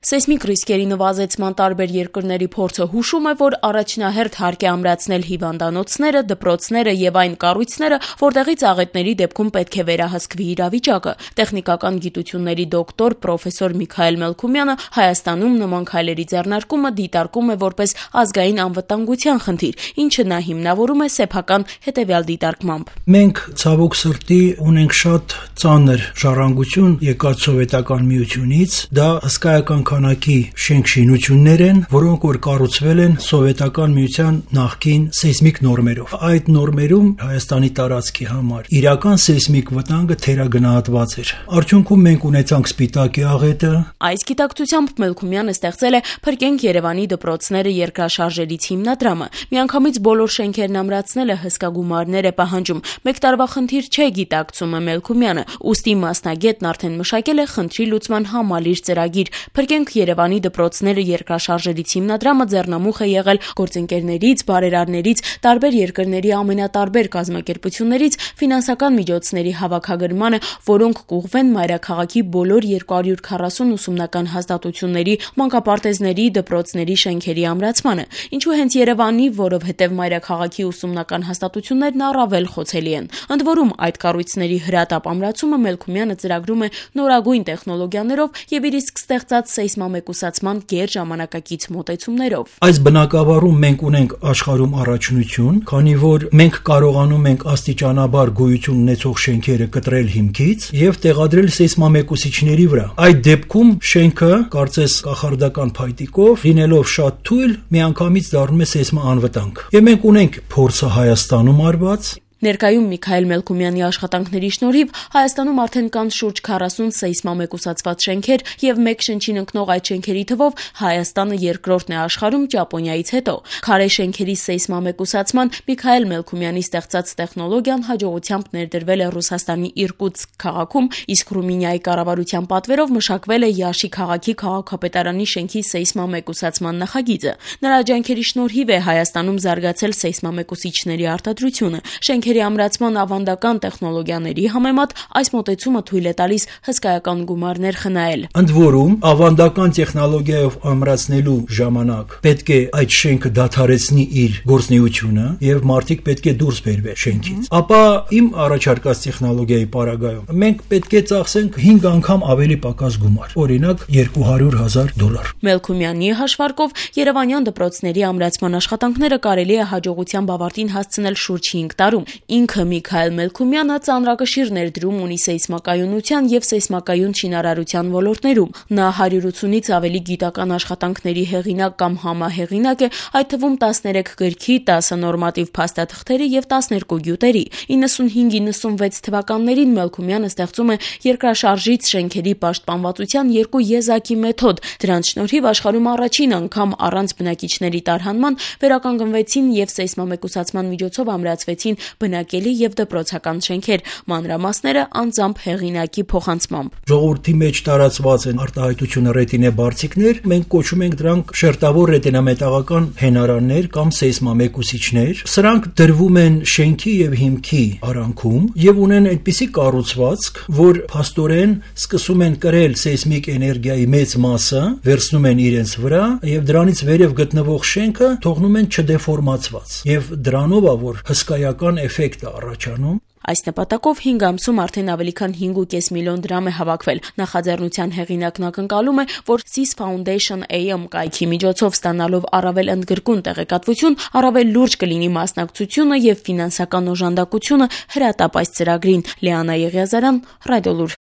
Սեյսմիկ ռիսկերի նվազեցման տարբեր երկրների փորձը հուշում է, որ առաջնահերթ հարկ է ամրացնել հիվանդանոցները, դպրոցները եւ այն կառույցները, որտեղից աղետների դեպքում պետք է վերահսկվի իրավիճակը։ Տեխնիկական գիտությունների դոկտոր պրոֆեսոր Միքայել Մելքումյանը Հայաստանում նման քայլերի ձեռնարկումը դիտարկում է որպես ազգային անվտանգության խնդիր, ինչը նա հիմնավորում է սեփական հետեւյալ դիտարկմամբ։ Մենք ցավոք սրտի ունենք շատ ծանր ժառանգություն եկած սովետական միությունից, դա հսկայական քանակի շենք-շինություններ են, որոնք որ կառուցվել են սովետական միության նախկին սեյսմիկ նորմերով։ Այդ նորմերում Հայաստանի տարածքի համար իրական սեյսմիկ վտանգը թերագնահատված էր։ Արդյունքում մենք ունեցանք Սպիտակի աղետը։ Այս գիտակցությամբ Մելքումյանը ստեղծել է «Փրկենք Երևանի դպրոցները» երկրաշարժերից հիմնադրամը։ Միանգամից բոլոր շենքերն ամրացնելը հսկա գումարներ է պահանջում։ Մեկ տարվա խնդիր չէ, գիտակցում է Մելքումյանը, ուստի մասնագետն արդեն մշակել է խնդրի լուծման համալիր ծրագիր։ «Փրկենք Երևանի դպրոցները» երկրաշարժերից հիմնադրամը ձեռնամուխ է եղել գործընկերներից, բարերարներից, տարբեր երկրների ամենատարբեր կազմակերպություններից ֆինանսական միջոցների հավաքագրմանը, որոնք կուղղվեն մայրաքաղաքի բոլոր 240 ուսումնական հաստատությունների, մանկապարտեզների, դպրոցների շենքերի ամրացմանը։ Ինչու հենց Երևանի, որովհետև մայրաքաղաքի ուսումնական հաստատություններն առավել խոցելի են։ Ընդ որում, այդ կառույցների հրատապ ամրացումը Մելքումյանը ծրագրում է նորագույն տեխնոլոգիաներով եւ իր իսկ ստեղծած սեյսմամեկուսացման գերժամանակակից մոտեցումներով։ Այս բնակավարում մենք ունենք աշխարհում առաջնություն, քանի որ մենք կարողանում ենք աստիճանաբար գոյություն ունեցող շենքերը կտրել հիմքից եւ տեղադրել սեյսմամեկուսիչների վրա։ Այդ դեպքում շենքը, կարծես կախարդական փայտիկով, լինելով շատ թույլ, միանգամից դառնում է սեյսմաանվտանգ։ Եվ մենք ունենք փորձը Հայաստանում արված։ Ներկայում Միքայել Մելքումյանի աշխատանքների շնորհիվ Հայաստանում արդեն կան շուրջ 40 սեյսմամեկուսացված շենքեր եւ մեկ շնչին ընկնող այդ շենքերի թվով Հայաստանը երկրորդն է աշխարհում Ճապոնիայից հետո։ Քարե շենքերի սեյսմամեկուսացման Միքայել Մելքումյանի ստեղծած տեխնոլոգիան հաջողությամբ ներդրվել է Ռուսաստանի Իրկուտսկ քաղաքում, իսկ Ռումինիայի կառավարության պատվերով մշակվել է Յաշի քաղաքի քաղաքապետարանի շենքի սեյսմամեկուսացման նախագիծը։ Նրա ջանքերի շնորհիվ է Հայաստանում զարգացել սեյսմամեկուսիչների արտադրությունը։ Շենքերի ամրացման ավանդական տեխնոլոգիաների համեմատ այս մոտեցումը թույլ է տալիս հսկայական գումարներ խնայել։ Ընդ որում, ավանդական տեխնոլոգիայով ամրացնելու ժամանակ պետք է այդ շենքը դադարեցնի իր գործունեությունը եւ մարդիկ պետք է դուրս բերվեն շենքից։ Ապա իմ առաջարկած տեխնոլոգիայի պարագայում մենք պետք է ծախսենք 5 անգամ ավելի պակաս գումար, օրինակ $200,000։ Մելքումյանի հաշվարկով երևանյան դպրոցների ամրացման աշխատանքները կարելի է հաջողությամբ ավարտին հասցնել շուրջ 5 տարում։ Ինքը Միքայել Մելքումյանը ծանրակշիռ ներդրում ունի սեյսմակայունության եւ սեյսմակայուն շինարարության ոլորտներում։ Նա 180-ից ավելի գիտական աշխատանքների հեղինակ կամ համահեղինակ է, այդ թվում 13 գրքի, 10 նորմատիվ փաստաթղթերի եւ 12 գյուտերի։ 95-96 թվականներին Մելքումյանը ստեղծում է երկրաշարժից շենքերի պաշտպանվածության 2 եզակի մեթոդ։ Դրանց շնորհիվ աշխարհում առաջին անգամ առանց բնակիչների տարհանման վերականգնվեցին եւ սեյսմամեկուսացման միջոցով ամրացվեցին բնակելի եւ դպրոցական շենքեր, մանրամասները անձամբ հեղինակի փոխանցմամբ։ Ժողովրդի մեջ տարածված են արտահայտությունը ռետինե բարձիկներ, մենք կոչում ենք դրանք շերտավոր ռետինամետաղական հենարաններ կամ սեյսմամեկուսիչներ։ Սրանք դրվում են շենքի եւ հիմքի արանքում եւ ունեն այնպիսի կառուցվածք, որ փաստորեն սկսում են կրել սեյսմիկ էներգիայի մեծ մասը, վերցնում են իրենց վրա եւ դրանից վերև գտնվող շենքը թողնում են չդեֆորմացված։ Եվ դրանով է որ հսկայական էֆեկտ է առաջանում։ Այս նպատակով 5 ամսում արդեն ավելի քան 5.5 միլիոն դրամ է հավաքվել։ Նախաձեռնության հեղինակն ակնկալում է, որ Sys Foundation AM կայքի միջոցով ստանալով առավել ընդգրկուն տեղեկատվություն, առավել լուրջ կլինի մասնակցությունը եւ ֆինանսական օժանդակությունը հրատապ այս ծրագրին։ Լիանա Եղիազարյան, Ռադիոլուր։